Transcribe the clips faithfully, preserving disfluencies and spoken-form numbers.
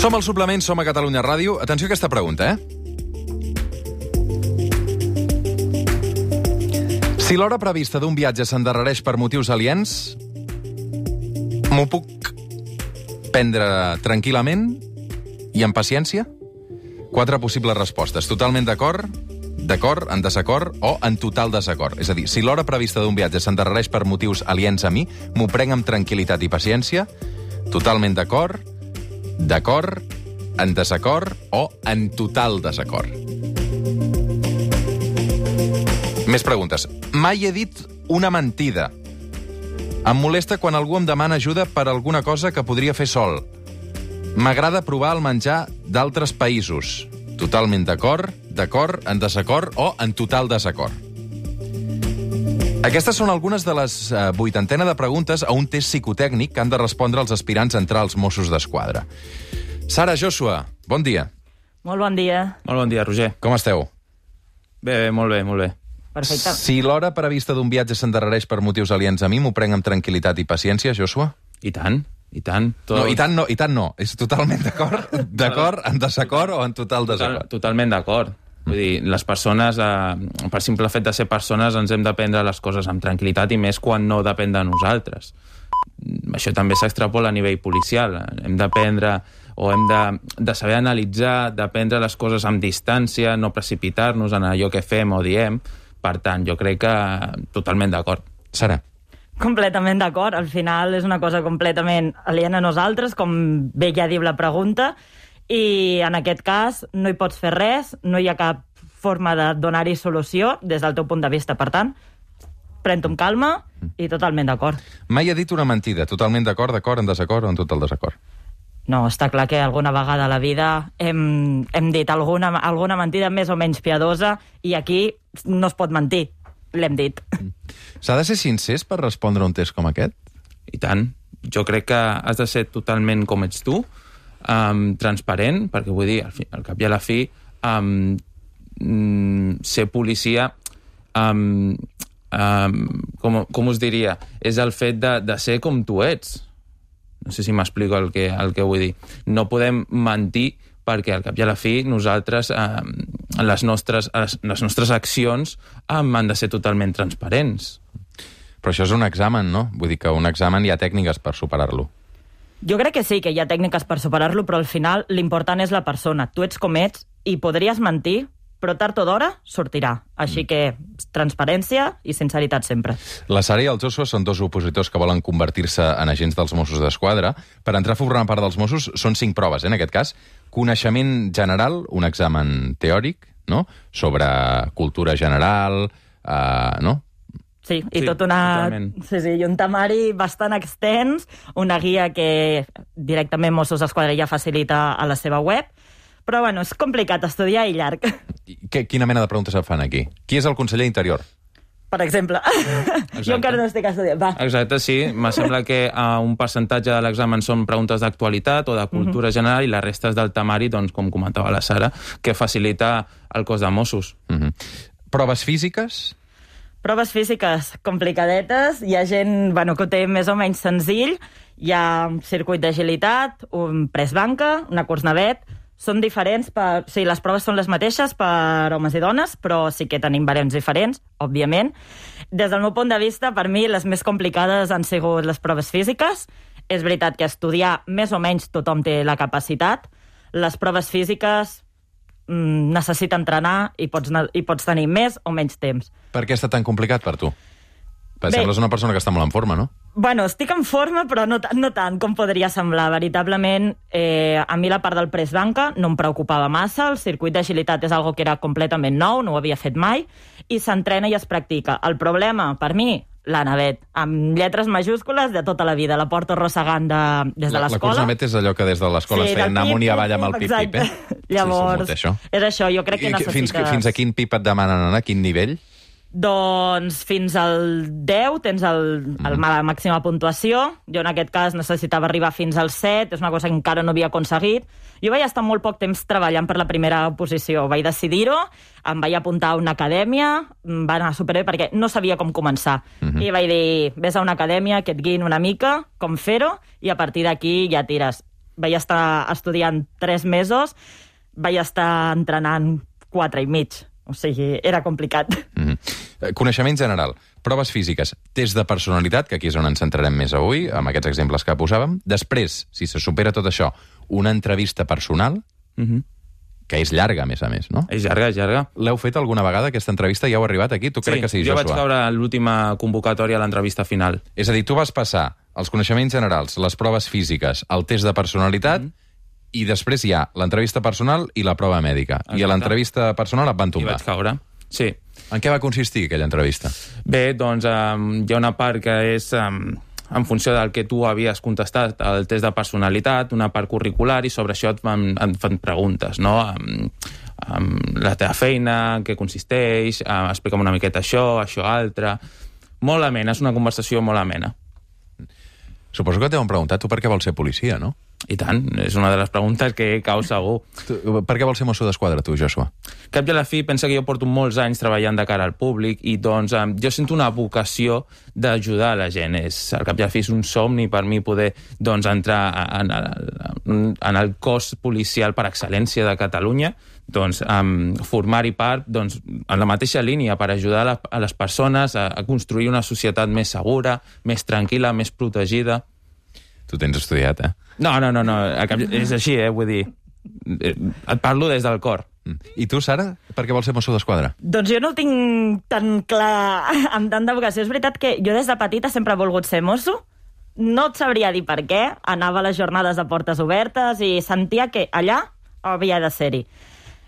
Som al Suplement, som a Catalunya Ràdio. Atenció a aquesta pregunta, eh? Si l'hora prevista d'un viatge s'endarrereix per motius aliens, m'ho puc prendre tranquil·lament i amb paciència? Quatre possibles respostes. Totalment d'acord, d'acord, en desacord o en total desacord. És a dir, si l'hora prevista d'un viatge s'endarrereix per motius aliens a mi, m'ho prenc amb tranquil·litat i paciència? Totalment d'acord, d'acord, en desacord o en total desacord. Més preguntes. Mai he dit una mentida. Em molesta quan algú em demana ajuda per alguna cosa que podria fer sol. M'agrada provar el menjar d'altres països. Totalment d'acord, d'acord, en desacord o en total desacord. Aquestes són algunes de les eh, vuitantena de preguntes a un test psicotècnic que han de respondre els aspirants a entrar als Mossos d'Esquadra. Sara, Joshua, bon dia. Molt bon dia. Molt bon dia, Roger. Com esteu? Bé, bé, molt bé, molt bé. Perfecte. Si l'hora prevista d'un viatge s'endarrereix per motius aliens a mi, m'ho prenc amb tranquil·litat i paciència, Joshua? I tant, i tant. Tot... No, i tant no, i tant no. És totalment d'acord, d'acord, en desacord o en total desacord? Total, totalment d'acord. Vull dir, les persones, eh, per simple fet de ser persones, ens hem de prendre les coses amb tranquil·litat i més quan no depèn de nosaltres. Això també s'extrapola a nivell policial. Hem d'aprendre o hem de, de saber analitzar, d'aprendre les coses amb distància, no precipitar-nos en allò que fem o diem. Per tant, jo crec que totalment d'acord. Sara? Completament d'acord. Al final és una cosa completament aliena a nosaltres, com bé ja diu la pregunta, i en aquest cas no hi pots fer res, no hi ha cap forma de donar-hi solució des del teu punt de vista. Per tant, pren-t'ho amb calma i totalment d'acord. Mai he dit una mentida. Totalment d'acord, d'acord, en desacord o en total desacord? No, està clar que alguna vegada a la vida hem, hem dit alguna, alguna mentida més o menys piadosa i aquí no es pot mentir. L'hem dit. S'ha de ser sincers per respondre a un test com aquest? I tant. Jo crec que has de ser totalment com ets tu, um, transparent, perquè vull dir, al, fi, al cap i a la fi, um, um, ser policia, um, um, com, com us diria, és el fet de, de ser com tu ets. No sé si m'explico el que, el que vull dir. No podem mentir perquè al cap i a la fi nosaltres, eh, les, nostres, les nostres accions eh, han de ser totalment transparents. Però això és un examen, no? Vull dir que un examen hi ha tècniques per superar-lo. Jo crec que sí, que hi ha tècniques per superar-lo, però al final l'important és la persona. Tu ets com ets i podries mentir, però tard o d'hora sortirà. Així que transparència i sinceritat sempre. La Sara i el Joshua són dos opositors que volen convertir-se en agents dels Mossos d'Esquadra. Per entrar a formar part dels Mossos són cinc proves, eh, en aquest cas. Coneixement general, un examen teòric, no? Sobre cultura general, eh, no? Sí, i sí, tot una... Sí, sí, i un temari bastant extens, una guia que directament Mossos d'Esquadra ja facilita a la seva web. Però, bueno, és complicat estudiar i llarg. Que, quina mena de preguntes et fan aquí? Qui és el conseller Interior? Per exemple. Jo encara no estic estudiant. Va. Exacte, sí. Me sembla que uh, un percentatge de l'examen són preguntes d'actualitat o de cultura uh-huh. general i la resta és del temari, doncs, com comentava la Sara, que facilita el cos de Mossos. Uh-huh. Proves físiques? Proves físiques complicadetes. Hi ha gent, bueno, que ho té més o menys senzill. Hi ha un circuit d'agilitat, un press banca, una curs navet. Són diferents, per... sí, les proves són les mateixes per homes i dones, però sí que tenim barems diferents, òbviament. Des del meu punt de vista, per mi, les més complicades han sigut les proves físiques. És veritat que estudiar més o menys tothom té la capacitat. Les proves físiques mm, necessita entrenar i pots, i pots tenir més o menys temps. Per què està tan complicat per tu? Perquè sembles una persona que està molt en forma, no? Bueno, estic en forma, però no, no tant com podria semblar. Veritablement, eh, a mi la part del press banca no em preocupava massa. El circuit d'agilitat és algo que era completament nou, no ho havia fet mai, i s'entrena i es practica. El problema, per mi, la navet, amb lletres majúscules de tota la vida. La porto arrossegant de, des de l'escola. La curs navet és allò que des de l'escola sí, es feia anar amunt i avall amb el pip-pip, eh? Llavors, sí, això. és això, jo crec que I, necessites... Fins, fins a quin pip et demanen anar? A quin nivell? Doncs fins al deu tens el, el, la màxima puntuació. Jo en aquest cas necessitava arribar fins al set, és una cosa que encara no havia aconseguit. Jo vaig estar molt poc temps treballant per la primera posició. Vaig decidir-ho, em vaig apuntar a una acadèmia, va anar superbé perquè no sabia com començar. Uh-huh. I vaig dir, vés a una acadèmia que et guiïn una mica, com fer-ho, i a partir d'aquí ja tires. vaig estar estudiant tres mesos, vaig estar entrenant quatre i mig. O sigui, era complicat. Mm-hmm. Coneixement general, proves físiques, test de personalitat, que aquí és on ens centrarem més avui, amb aquests exemples que posàvem. Després, si se supera tot això, una entrevista personal, Mm-hmm. que és llarga, a més a més, no? És llarga, és llarga. L'heu fet alguna vegada, aquesta entrevista? Ja heu arribat aquí? Tu crec que sí, jo Joshua. vaig caure a l'última convocatòria a l'entrevista final. És a dir, tu vas passar els coneixements generals, les proves físiques, el test de personalitat, mm-hmm. i després hi ha l'entrevista personal i la prova mèdica. Exacte. I a l'entrevista personal et van I tombar. vaig caure, sí. En què va consistir aquella entrevista? Bé, doncs um, hi ha una part que és um, en funció del que tu havies contestat al test de personalitat, una part curricular, i sobre això et fan, et fan preguntes, no? Um, um, la teva feina, què consisteix, uh, explica'm una miqueta això, això altre... Molt amena, és una conversació molt amena. Suposo que t'heu preguntat tu per què vols ser policia, no? I tant, és una de les preguntes que cau segur. Tu, per què vols ser mosso d'esquadra, tu, Joshua? Cap i a la fi, pensa que jo porto molts anys treballant de cara al públic i doncs eh, jo sento una vocació d'ajudar a la gent. És, al cap i a la fi és un somni per mi poder doncs, entrar en, en, en el cos policial per excel·lència de Catalunya, doncs, um, formar-hi part doncs, en la mateixa línia per ajudar a, la, a les persones a, a construir una societat més segura, més tranquil·la, més protegida. Tu tens estudiat, eh? No, no, no, no. És així, eh? Vull dir, et parlo des del cor. I tu, Sara, per què vols ser mosso d'esquadra? Doncs jo no ho tinc tan clar amb tanta vocació. És veritat que jo des de petita sempre he volgut ser mosso. No et sabria dir per què. Anava a les jornades de portes obertes i sentia que allà havia de ser-hi.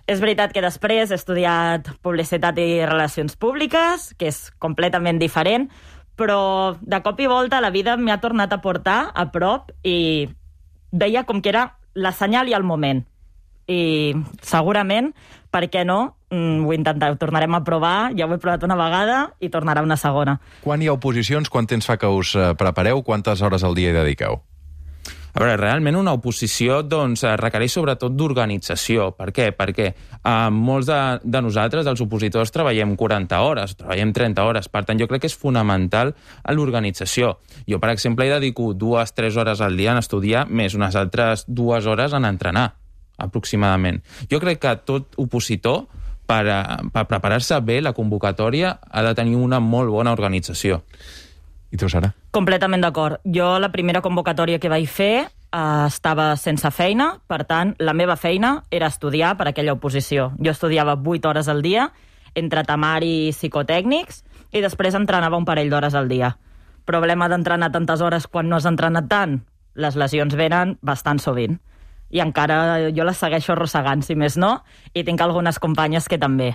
És veritat que després he estudiat publicitat i relacions públiques, que és completament diferent, però de cop i volta la vida m'ha tornat a portar a prop i veia com que era la senyal i el moment. I segurament, per què no, ho intentarem, ho tornarem a provar, ja ho he provat una vegada i tornarà una segona. Quan hi ha oposicions, quant temps fa que us prepareu, quantes hores al dia hi dediqueu? A veure, realment una oposició doncs, requereix sobretot d'organització. Per què? Perquè eh, molts de, de nosaltres, els opositors, treballem quaranta hores, treballem trenta hores. Per tant, jo crec que és fonamental a l'organització. Jo, per exemple, hi dedico dues, tres hores al dia en estudiar, més unes altres dues hores en entrenar, aproximadament. Jo crec que tot opositor, per, per preparar-se bé la convocatòria, ha de tenir una molt bona organització. I tu, Sara? Completament d'acord. Jo la primera convocatòria que vaig fer eh, estava sense feina, per tant, la meva feina era estudiar per aquella oposició. Jo estudiava vuit hores al dia, entre temari i psicotècnics, i després entrenava un parell d'hores al dia. Problema d'entrenar tantes hores quan no has entrenat tant? Les lesions venen bastant sovint. I encara jo les segueixo arrossegant, si més no, i tinc algunes companyes que també.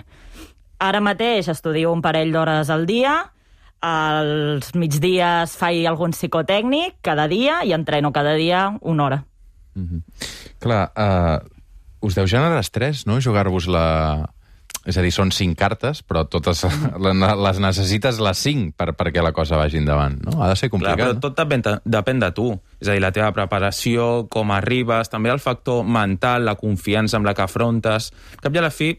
Ara mateix estudio un parell d'hores al dia, als migdies faig algun psicotècnic cada dia i entreno cada dia una hora. Mm-hmm. Clar, uh, us deu generar estrès, no?, jugar-vos la... És a dir, són cinc cartes, però totes les necessites les cinc per, perquè la cosa vagi endavant, no? Ha de ser complicat. Clar, però tot depèn, depèn de tu. És a dir, la teva preparació, com arribes, també el factor mental, la confiança amb la que afrontes. Al cap i a la fi,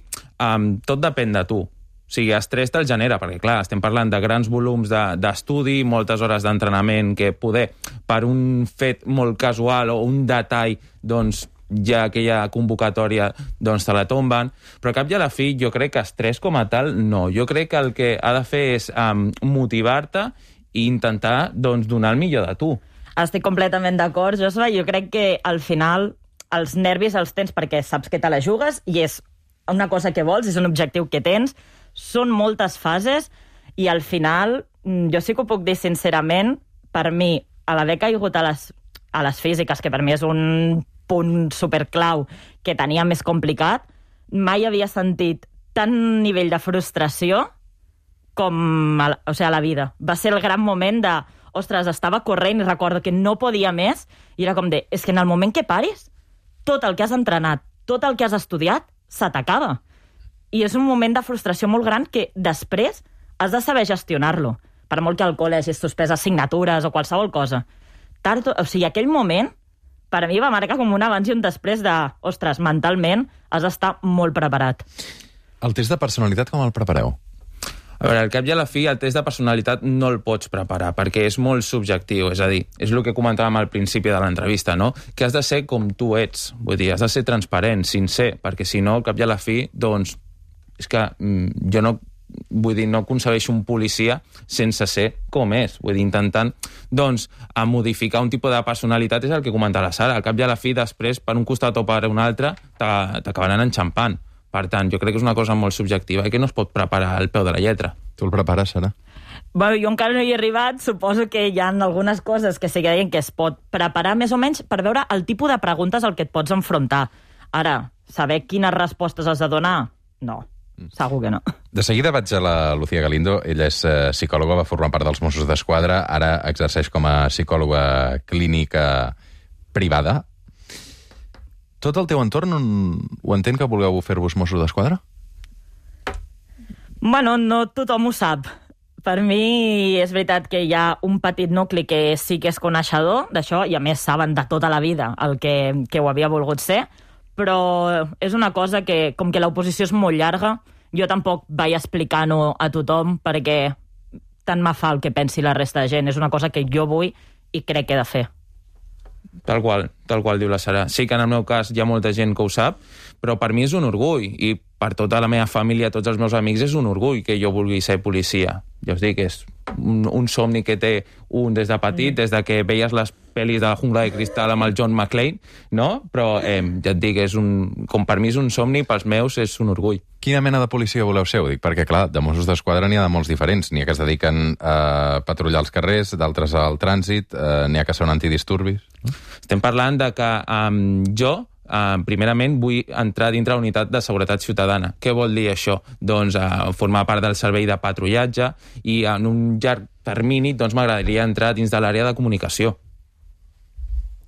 um, tot depèn de tu. O sigui, estrès te'l genera, perquè, clar, estem parlant de grans volums d'estudi, de, moltes hores d'entrenament, que poder, per un fet molt casual o un detall, doncs, ja aquella convocatòria doncs te la tomben, però al cap i a la fi jo crec que estrès com a tal no. Jo crec que el que ha de fer és um, motivar-te i intentar doncs, donar el millor de tu. Estic completament d'acord, Joshua. Jo crec que al final els nervis els tens perquè saps que te la jugues i és una cosa que vols, és un objectiu que tens, són moltes fases i al final, jo sí que ho puc dir sincerament, per mi, a l'haver caigut a les, a les físiques, que per mi és un punt superclau que tenia més complicat, mai havia sentit tant nivell de frustració com a, o sigui, a la vida. Va ser el gran moment de, ostres, estava corrent i recordo que no podia més i era com de, és que en el moment que paris, tot el que has entrenat, tot el que has estudiat, se t'acaba. I és un moment de frustració molt gran que després has de saber gestionar-lo. Per molt que al col·le hagis suspès assignatures o qualsevol cosa. Tard, o sigui, aquell moment per a mi va marcar com un abans i un després de, ostres, mentalment has d'estar molt preparat. El test de personalitat com el prepareu? A A veure, al cap i a la fi, el test de personalitat no el pots preparar, perquè és molt subjectiu, és a dir, és el que comentàvem al principi de l'entrevista, no? Que has de ser com tu ets, vull dir, has de ser transparent, sincer, perquè si no, al cap i a la fi, doncs, és que mm, jo no, vull dir, no concebeixo un policia sense ser com és, vull dir, intentant, doncs, a modificar un tipus de personalitat és el que comenta la Sara, al cap i a la fi, després, per un costat o per un altre, t'acabaran enxampant. Per tant, jo crec que és una cosa molt subjectiva i que no es pot preparar al peu de la lletra. Tu el prepares, Sara? Bueno, jo encara no hi he arribat, suposo que hi ha algunes coses que sí que deien que es pot preparar més o menys per veure el tipus de preguntes al que et pots enfrontar. Ara, saber quines respostes has de donar? No. Segur que no. De seguida vaig a la Lucía Galindo. Ella és eh, psicòloga, va formar part dels Mossos d'Esquadra, ara exerceix com a psicòloga clínica privada. Tot el teu entorn ho entén que vulgueu fer-vos Mossos d'Esquadra? Bueno, no tothom ho sap. Per mi és veritat que hi ha un petit nucli que sí que és coneixedor d'això, i a més saben de tota la vida el que, que ho havia volgut ser, però és una cosa que, com que l'oposició és molt llarga, jo tampoc vaig explicant-ho a tothom perquè tant me fa el que pensi la resta de gent. És una cosa que jo vull i crec que he de fer. Tal qual, tal qual diu la Sara. Sí que en el meu cas hi ha molta gent que ho sap, però per mi és un orgull, i per tota la meva família, tots els meus amics, és un orgull que jo vulgui ser policia. Ja us dic, és un, un somni que té un des de petit, mm. des de que veies les pel·lis de la jungla de cristal amb el John McClane, no? Però eh, ja et dic, és un, com per mi és un somni, pels meus és un orgull. Quina mena de policia voleu ser? Ho dic perquè, clar, de Mossos d'Esquadra n'hi ha de molts diferents. N'hi ha que es dediquen a patrullar els carrers, d'altres al trànsit, eh, n'hi ha que són antidisturbis. No? Estem parlant de que um, jo, Uh, primerament vull entrar dintre la unitat de seguretat ciutadana. Què vol dir això? Doncs uh, formar part del servei de patrullatge, i en un llarg termini doncs m'agradaria entrar dins de l'àrea de comunicació.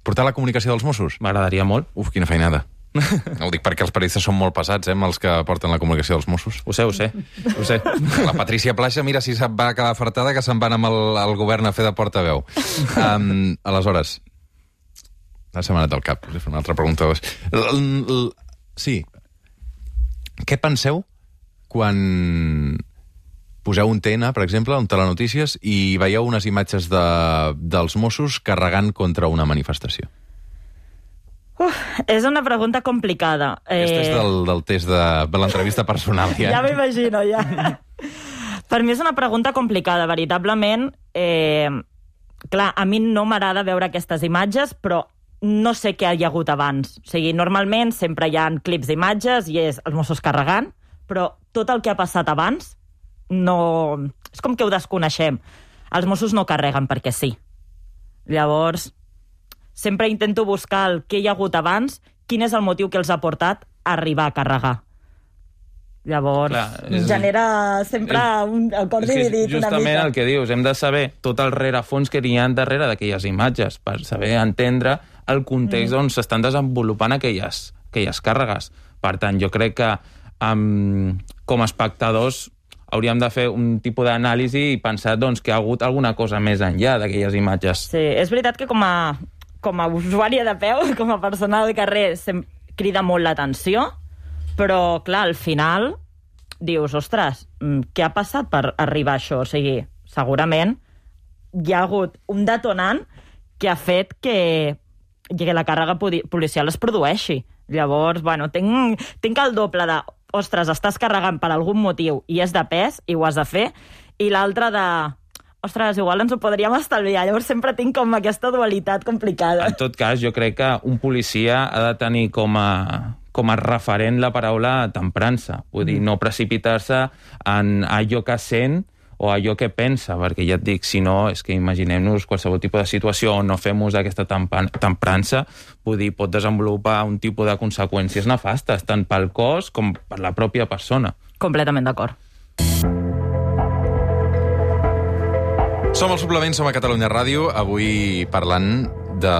Portar la comunicació dels Mossos? M'agradaria molt. Uf, quina feinada. No ho dic perquè els periodistes són molt pesats, eh, amb els que porten la comunicació dels Mossos. Ho sé, ho sé. Ho sé. La Patrícia Plaja, mira si se'n va acabar fartada que se'n van amb el, el govern a fer de portaveu. Um, aleshores, la setmana del cap, us he fet una altra pregunta. L -l -l sí. Què penseu quan poseu un T N, per exemple, un telenotícies, i veieu unes imatges de, dels Mossos carregant contra una manifestació? Uf, és una pregunta complicada. Aquesta és del, del test de, de l'entrevista personal. Ja, ja m'imagino, ja. Per mi és una pregunta complicada, veritablement. Eh, clar, a mi no m'agrada veure aquestes imatges, però no sé què hi ha hagut abans. O sigui, normalment sempre hi ha clips d'imatges i és els Mossos carregant, però tot el que ha passat abans no... És com que ho desconeixem. Els Mossos no carreguen perquè sí. Llavors, sempre intento buscar el que hi ha hagut abans, quin és el motiu que els ha portat a arribar a carregar. Llavors, clar, és, genera sempre és, un el cor dividit una mica. Justament el que dius, hem de saber tot el rerefons que hi ha darrere d'aquelles imatges, per saber entendre el context mm. on s'estan desenvolupant aquelles, aquelles càrregues. Per tant, jo crec que um, com a espectadors hauríem de fer un tipus d'anàlisi i pensar doncs, que hi ha hagut alguna cosa més enllà d'aquelles imatges. Sí, és veritat que com a, com a usuària de peu, com a persona del carrer, crida molt l'atenció, però, clar, al final dius, ostres, què ha passat per arribar a això? O sigui, segurament hi ha hagut un detonant que ha fet que, que la càrrega policial es produeixi. Llavors, bueno, tinc, tinc el doble de, ostres, estàs carregant per algun motiu i és de pes i ho has de fer, i l'altre de, ostres, igual ens ho podríem estalviar. Llavors sempre tinc com aquesta dualitat complicada. En tot cas, jo crec que un policia ha de tenir com a, com a referent la paraula temprança. Vull dir, no precipitar-se en allò que sent o allò que pensa, perquè ja et dic, si no, és que imaginem-nos qualsevol tipus de situació on no fem ús d'aquesta temprança, vull dir, pot desenvolupar un tipus de conseqüències nefastes, tant pel cos com per la pròpia persona. Completament d'acord. Som al Suplement, som a Catalunya Ràdio, avui parlant de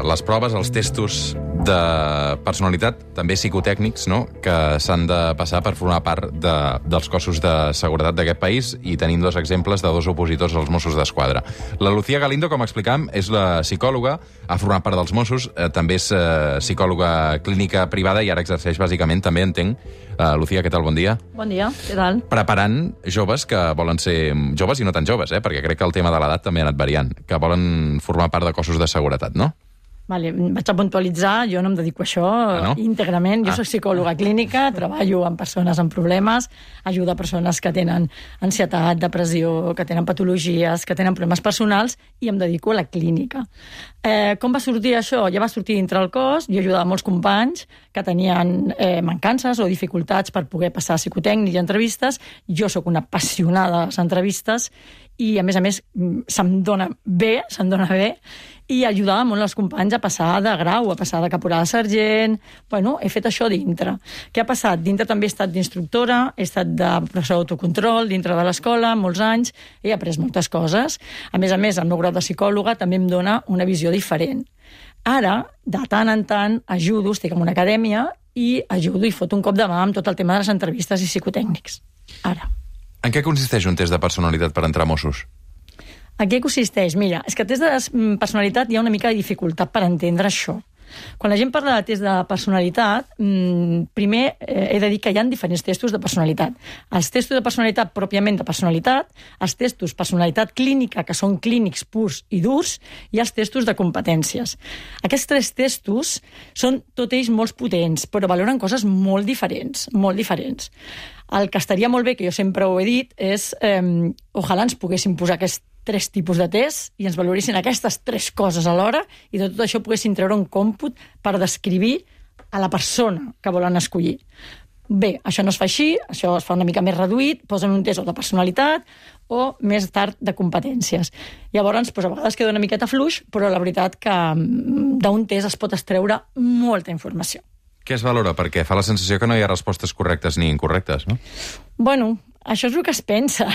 les proves, els testos de personalitat, també psicotècnics, no?, que s'han de passar per formar part de, dels cossos de seguretat d'aquest país, i tenim dos exemples de dos opositors als Mossos d'Esquadra. La Lucía Galindo, com explicàvem, és la psicòloga, ha format part dels Mossos, eh, també és eh, psicòloga clínica privada i ara exerceix bàsicament, també entenc. Uh, Lucía, què tal? Bon dia. Bon dia, què tal? Preparant joves que volen ser joves i no tan joves, eh? Perquè crec que el tema de l'edat també ha anat variant, que volen formar part de cossos de seguretat, no? Vale, vaig a puntualitzar, jo no em dedico a això ah, no? íntegrament. Jo ah. soc psicòloga clínica, treballo amb persones amb problemes, ajudo a persones que tenen ansietat, depressió, que tenen patologies, que tenen problemes personals, i em dedico a la clínica. Eh, com va sortir això? Ja va sortir dintre el cos, jo ajudava molts companys que tenien eh, mancances o dificultats per poder passar a psicotècnic i entrevistes. Jo sóc una apassionada de les entrevistes i, a més a més, se'm dona bé, se'm dona bé, i ajudava molt els companys a passar de grau, a passar de caporal a sergent. Bueno, he fet això dintre. Què ha passat? Dintre també he estat d'instructora, he estat de professor d'autocontrol dintre de l'escola, molts anys, he après moltes coses. A més a més, el meu grau de psicòloga també em dona una visió diferent. Ara, de tant en tant, ajudo, estic en una acadèmia, i ajudo i foto un cop de mà amb tot el tema de les entrevistes i psicotècnics. Ara. En què consisteix un test de personalitat per entrar a Mossos? En què consisteix? Mira, és que el test de personalitat hi ha una mica de dificultat per entendre això. Quan la gent parla de test de personalitat, primer he de dir que hi ha diferents testos de personalitat. Els testos de personalitat pròpiament de personalitat, els testos personalitat clínica, que són clínics purs i durs, i els testos de competències. Aquests tres testos són tot ells molt potents, però valoren coses molt diferents, molt diferents. El que estaria molt bé, que jo sempre ho he dit, és eh, ojalà ens poguéssim posar aquests tres tipus de test i ens valoressin aquestes tres coses alhora, i de tot això poguessin treure un còmput per descriure a la persona que volen escollir. Bé, això no es fa així, això es fa una mica més reduït, posen un test o de personalitat o més tard de competències. Llavors, doncs, a vegades queda una miqueta fluix, però la veritat que d'un test es pot extreure molta informació. Què es valora? Perquè fa la sensació que no hi ha respostes correctes ni incorrectes, no? Bueno, això és el que es pensa.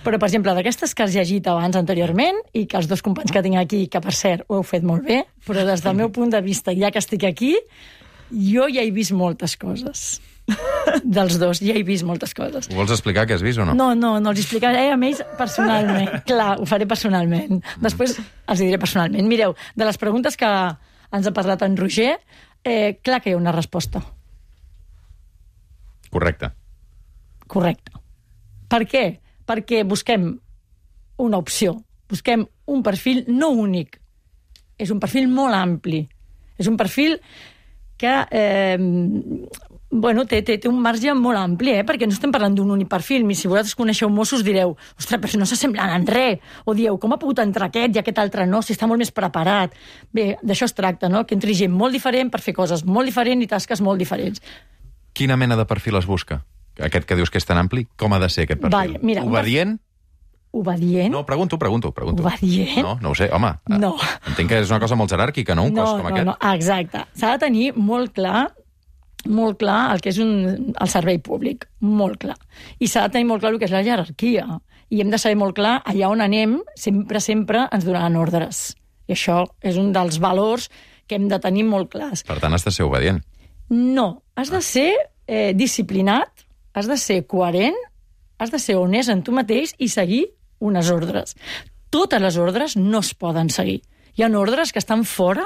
Però, per exemple, d'aquestes que has llegit abans anteriorment, i que els dos companys que tinc aquí, que per cert ho heu fet molt bé, però des del meu punt de vista, ja que estic aquí, jo ja he vist moltes coses. Dels dos, ja he vist moltes coses. Ho vols explicar, què has vist o no? No, no, no els explicaré a ells personalment. Clar, ho faré personalment. Després els diré personalment. Mireu, de les preguntes que ens ha parlat en Roger, eh, clar que hi ha una resposta. Correcte. Correcte. Per què? Perquè busquem una opció, busquem un perfil no únic, és un perfil molt ampli, és un perfil que eh, bueno, té, té, té un marge molt ampli, eh? Perquè no estem parlant d'un únic perfil. Si vosaltres coneixeu Mossos direu, ostres, però si no s'assemblen en res, o dieu, com ha pogut entrar aquest i aquest altre no, si està molt més preparat. Bé, d'això es tracta, no? Que entri gent molt diferent per fer coses molt diferents i tasques molt diferents. Quina mena de perfil es busca? Aquest que dius que és tan ampli, com ha de ser aquest perfil? Vale, mira, obedient? Obedient? No, pregunto, pregunto, pregunto. Obedient? No, no ho sé, home. No. Entenc que és una cosa molt jeràrquica, no? Un no, cos com no, aquest. No, exacte. S'ha de tenir molt clar molt clar el que és un, el servei públic, molt clar. I s'ha de tenir molt clar el que és la jerarquia. I hem de saber molt clar allà on anem, sempre, sempre ens donaran ordres. I això és un dels valors que hem de tenir molt clars. Per tant, has de ser obedient. No, has de ser eh, disciplinat, has de ser coherent, has de ser honest en tu mateix i seguir unes ordres. Totes les ordres no es poden seguir. Hi ha ordres que estan fora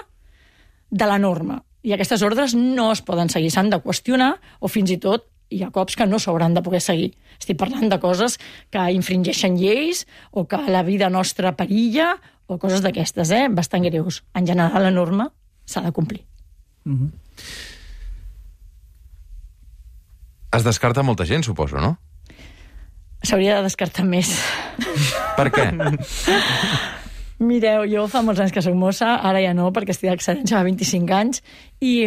de la norma i aquestes ordres no es poden seguir. S'han de qüestionar o fins i tot hi ha cops que no s'hauran de poder seguir. Estic parlant de coses que infringeixen lleis o que la vida nostra perilla o coses d'aquestes, eh? Bastant greus. En general, la norma s'ha de complir. Mm-hmm. Es descarta molta gent, suposo, no? S'hauria de descartar més. Per què? Mireu, jo fa molts anys que soc mossa, ara ja no, perquè estic d'excedència, fa vint-i-cinc anys, i,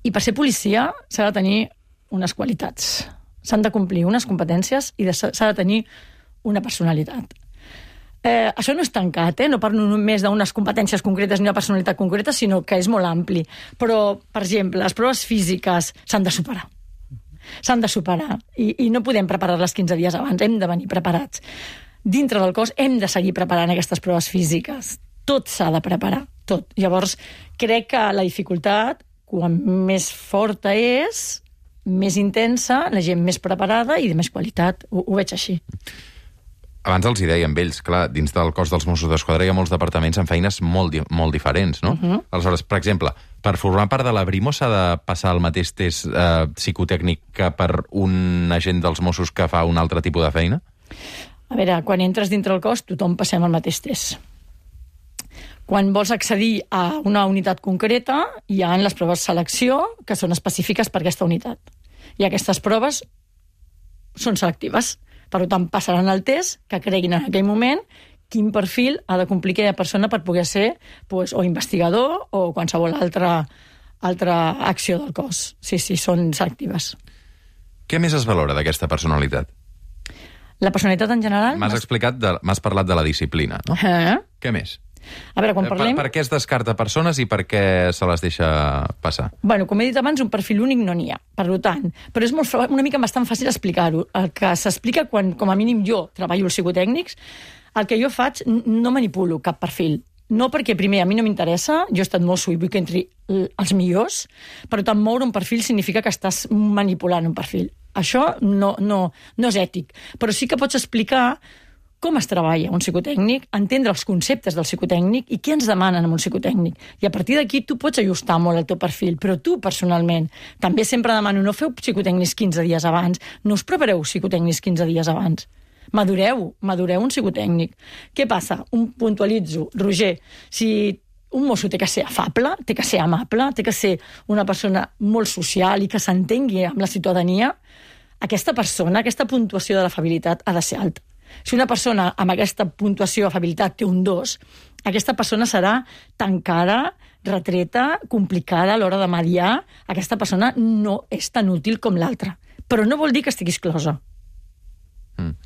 i per ser policia s'ha de tenir unes qualitats. S'han de complir unes competències i s'ha de tenir una personalitat. Eh, això no és tancat, eh? No parlo només d'unes competències concretes ni una personalitat concreta, sinó que és molt ampli. Però, per exemple, les proves físiques s'han de superar. S'han de superar i, i no podem preparar-les quinze dies abans, hem de venir preparats. Dintre del cos hem de seguir preparant aquestes proves físiques. tot s'ha de preparar, tot. Llavors, crec que la dificultat, quan més forta és, més intensa, la gent més preparada i de més qualitat. Ho, ho veig així. Abans els hi deia amb ells, clar, dins del cos dels Mossos d'Esquadra hi ha molts departaments amb feines molt, molt diferents, no? Uh-huh. Aleshores, per exemple, per formar part de la Brimo s'ha de passar el mateix test eh, psicotècnic que per un agent dels Mossos que fa un altre tipus de feina? A veure, quan entres dintre el cos, tothom passem el mateix test. Quan vols accedir a una unitat concreta, hi ha les proves de selecció que són específiques per aquesta unitat. I aquestes proves són selectives. Per tant, passaran el test que creguin en aquell moment quin perfil ha de complir aquella persona per poder ser pues, o investigador o qualsevol altra, altra acció del cos. Sí, sí, són selectives. Què més es valora d'aquesta personalitat? La personalitat en general... M'has explicat, de, m'has parlat de la disciplina, no? Eh? Què més? A veure, quan parlem... Per, per què es descarta persones i per què se les deixa passar? Bueno, com he dit abans, un perfil únic no n'hi ha, per tant. Però és molt, una mica bastant fàcil explicar-ho. El que s'explica quan, com a mínim, jo treballo els psicotècnics, el que jo faig, no manipulo cap perfil. No perquè, primer, a mi no m'interessa, jo he estat mosso i vull que entri els millors, per tant, moure un perfil significa que estàs manipulant un perfil. Això no, no, no és ètic. Però sí que pots explicar com es treballa un psicotècnic, entendre els conceptes del psicotècnic i què ens demanen amb un psicotècnic. I a partir d'aquí tu pots ajustar molt el teu perfil, però tu personalment també sempre demano, no feu psicotècnics quinze dies abans, no us prepareu psicotècnics quinze dies abans. Madureu, madureu un psicotècnic. Què passa? Un puntualitzo. Roger, si un mosso té que ser afable, té que ser amable, té que ser una persona molt social i que s'entengui amb la ciutadania, aquesta persona, aquesta puntuació de l'afabilitat ha de ser alta. Si una persona amb aquesta puntuació d'afabilitat té un dos, aquesta persona serà tancada, retreta, complicada a l'hora de mediar. Aquesta persona no és tan útil com l'altra. Però no vol dir que estigui exclosa. Mm.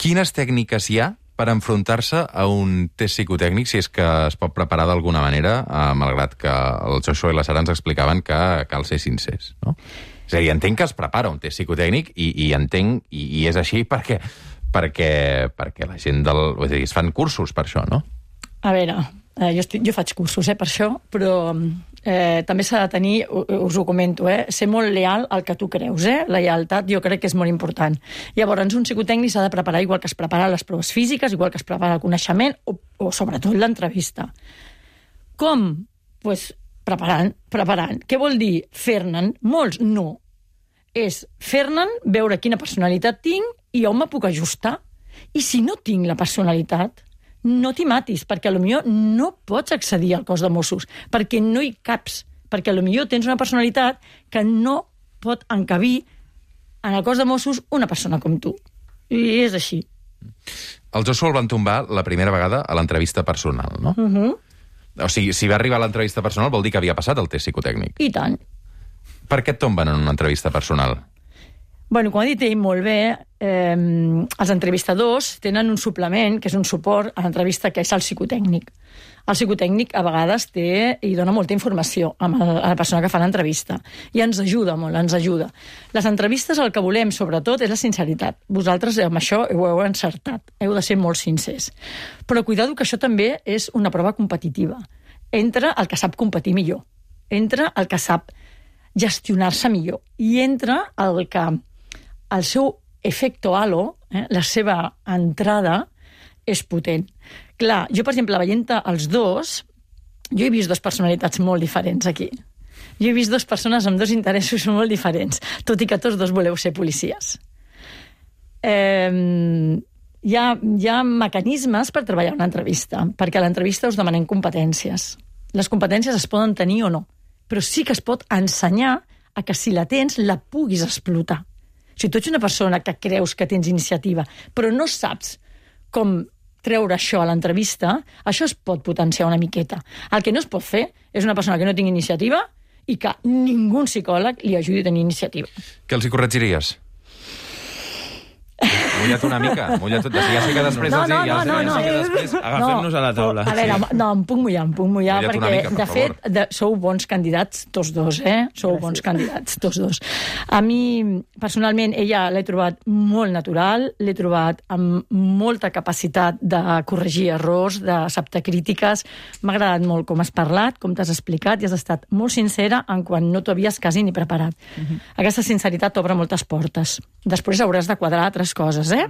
Quines tècniques hi ha per enfrontar-se a un test psicotècnic, si és que es pot preparar d'alguna manera, eh, malgrat que el Joshua i la Sara ens explicaven que cal ser sincers, no? És a dir, entenc que es prepara un test psicotècnic i, i entenc, i, i és així perquè... perquè, perquè la gent del... Vull dir, es fan cursos per això, no? A veure, eh, jo, estic, jo faig cursos eh, per això, però eh, també s'ha de tenir, us ho comento, eh, ser molt leal al que tu creus. Eh? La lealtat jo crec que és molt important. Llavors, un psicotècnic s'ha de preparar igual que es prepara les proves físiques, igual que es prepara el coneixement o, o sobretot l'entrevista. Com? Doncs pues, preparant, preparant. Què vol dir fer-ne'n? Molts no. És fer-ne'n, veure quina personalitat tinc i on me puc ajustar. I si no tinc la personalitat, no t'hi matis, perquè potser no pots accedir al cos de Mossos, perquè no hi caps, perquè potser tens una personalitat que no pot encabir en el cos de Mossos una persona com tu. I és així. El Joshua el van tombar la primera vegada a l'entrevista personal, no? Uh -huh. O sigui, si va arribar a l'entrevista personal vol dir que havia passat el test psicotècnic. I tant. Per què et tomben en una entrevista personal? Bueno, com ha dit ell molt bé, eh, els entrevistadors tenen un suplement, que és un suport a l'entrevista, que és el psicotècnic. El psicotècnic a vegades té i dona molta informació a la persona que fa l'entrevista i ens ajuda molt, ens ajuda. Les entrevistes el que volem, sobretot, és la sinceritat. Vosaltres amb això ho heu encertat, heu de ser molt sincers. Però cuidado que això també és una prova competitiva. Entra el que sap competir millor, entra el que sap gestionar-se millor i entra el que el seu efecto halo, eh, la seva entrada, és potent. Clar, jo, per exemple, veient els dos, jo he vist dues personalitats molt diferents aquí. Jo he vist dues persones amb dos interessos molt diferents, tot i que tots dos voleu ser policies. Eh, hi, ha, hi ha mecanismes per treballar una entrevista, perquè a l'entrevista us demanem competències. Les competències es poden tenir o no, però sí que es pot ensenyar a que si la tens, la puguis explotar. Si tu ets una persona que creus que tens iniciativa, però no saps com treure això a l'entrevista, això es pot potenciar una miqueta. El que no es pot fer és una persona que no tingui iniciativa i que ningú psicòleg li ajudi a tenir iniciativa. Què els hi corregiries? mulla't una mica. Mulla't, ja sé que després No, els no, ja no, sé, no, ja no. sé que després... Agafem-nos a la taula. A veure, Sí. no, em puc mullar, em puc mullar, Mulla't una perquè, mica, per de favor. fet, de, sou bons candidats, tots dos, eh? Sou Gràcies. bons candidats, tots dos. A mi, personalment, ella l'he trobat molt natural, l'he trobat amb molta capacitat de corregir errors, d'acceptar crítiques. M'ha agradat molt com has parlat, com t'has explicat, i has estat molt sincera en quan no t'ho havies quasi ni preparat. Uh-huh. Aquesta sinceritat t'obre moltes portes. Després hauràs de quadrar altres coses, eh?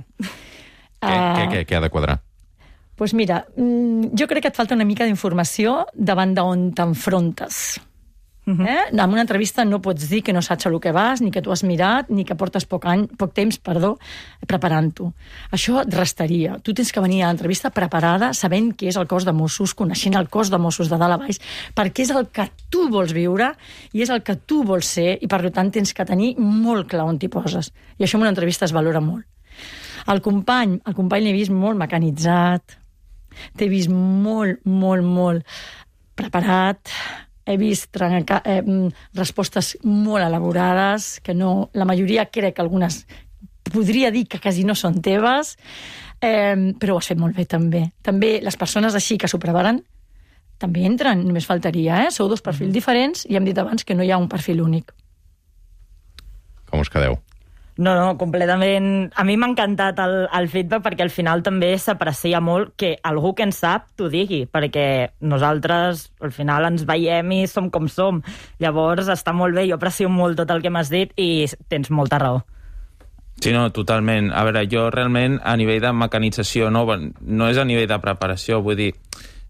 Què, què, què, què ha de quadrar? Doncs pues mira, jo crec que et falta una mica d'informació davant d'on t'enfrontes. Uh-huh. Eh? En una entrevista no pots dir que no saps el que vas, ni que tu has mirat, ni que portes poc, any, poc temps perdó, preparant-ho. Això et restaria. Tu tens que venir a l'entrevista preparada, sabent què és el cos de Mossos, coneixent el cos de Mossos de dalt a baix, perquè és el que tu vols viure i és el que tu vols ser, i per tant tens que tenir molt clar on t'hi poses. I això en una entrevista es valora molt. El company, el company l'he vist molt mecanitzat, t'he vist molt, molt, molt preparat, he vist trenca, eh, respostes molt elaborades, que no, la majoria crec que algunes podria dir que quasi no són teves, eh, però ho has fet molt bé també. També les persones així que s'ho preparen també entren, només faltaria, eh? Sou dos perfils diferents i hem dit abans que no hi ha un perfil únic. Com us quedeu? No, no, completament. A mi m'ha encantat el, el feedback perquè al final també s'aprecia molt que algú que en sap t'ho digui, perquè nosaltres al final ens veiem i som com som. Llavors està molt bé, jo aprecio molt tot el que m'has dit i tens molta raó. Sí, no, totalment. A veure, jo realment a nivell de mecanització no, no és a nivell de preparació, vull dir,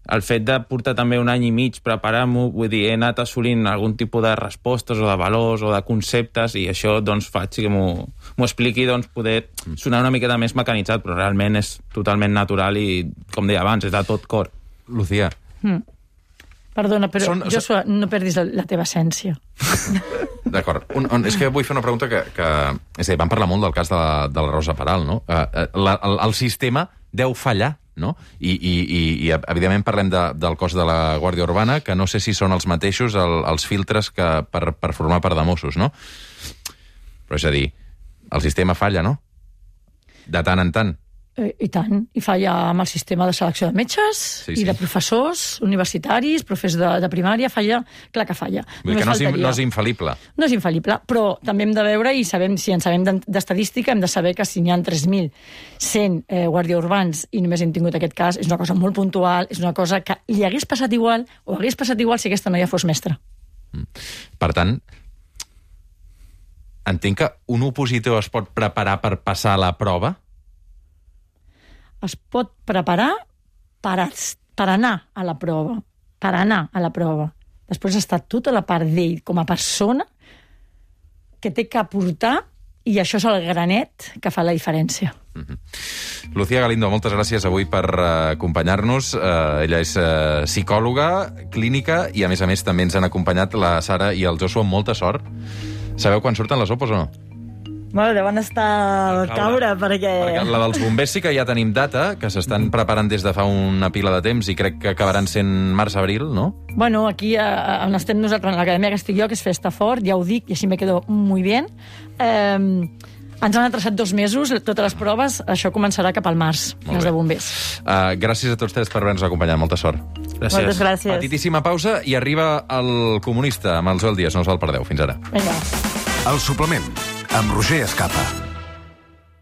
el fet de portar també un any i mig preparant-m'ho, vull dir, he anat assolint algun tipus de respostes o de valors o de conceptes i això doncs faig que m'ho expliqui, doncs poder sonar una miqueta més mecanitzat, però realment és totalment natural i, com deia abans, és de tot cor. Lucía. Mm. Perdona, però Són- Joshua, no perdis la, la teva essència. D'acord. Un, un, és que vull fer una pregunta que... que és a dir, vam parlar molt del cas de la, de la Rosa Peral, no? Uh, la, el, el sistema deu fallar, no? I, i, i, i evidentment parlem de, del cos de la Guàrdia Urbana, que no sé si són els mateixos el, els filtres que per, per formar part de Mossos, no? Però és a dir, el sistema falla, no? De tant en tant. Eh, I tant, i falla amb el sistema de selecció de metges Sí, i sí. de professors universitaris, professors de, de primària, falla, clar que falla. Vull dir que no és, faltaria. no és infal·lible. No és infal·lible, però també hem de veure, i sabem, si en sabem d'en- d'estadística, hem de saber que si n'hi ha tres mil cent eh, guàrdia urbans i només hem tingut aquest cas, és una cosa molt puntual, és una cosa que li hagués passat igual, o hagués passat igual si aquesta noia fos mestra. Per tant, entenc que un opositor es pot preparar per passar la prova? Es pot preparar per, as- per anar a la prova, per anar a la prova. Després està tota la part d'ell com a persona que té que aportar, i això és el granet que fa la diferència. Lucía Galindo, moltes gràcies avui per uh, acompanyar-nos. Uh, ella és uh, psicòloga clínica i, a més a més, també ens han acompanyat la Sara i el Joshua amb molta sort. Sabeu quan surten les opos o no? Bueno, deuen estar al caure, perquè... Perquè la dels bombers sí que ja tenim data, que s'estan preparant des de fa una pila de temps i crec que acabaran sent març-abril, no? Bueno, aquí eh, on estem nosaltres, en l'acadèmia que estic jo, que és Festa Fort, ja ho dic, i així me quedo muy bien. Eh, ens han atrasat dos mesos, totes les proves, això començarà cap al març, Molt les bé. de bombers. Uh, gràcies a tots tres per haver-nos acompanyat. Molta sort. Gràcies. Moltes gràcies. Petitíssima pausa i arriba el Comunista amb el Joel Díaz. No us el perdeu. Fins ara. Vinga. El suplement, amb Roger Escapa.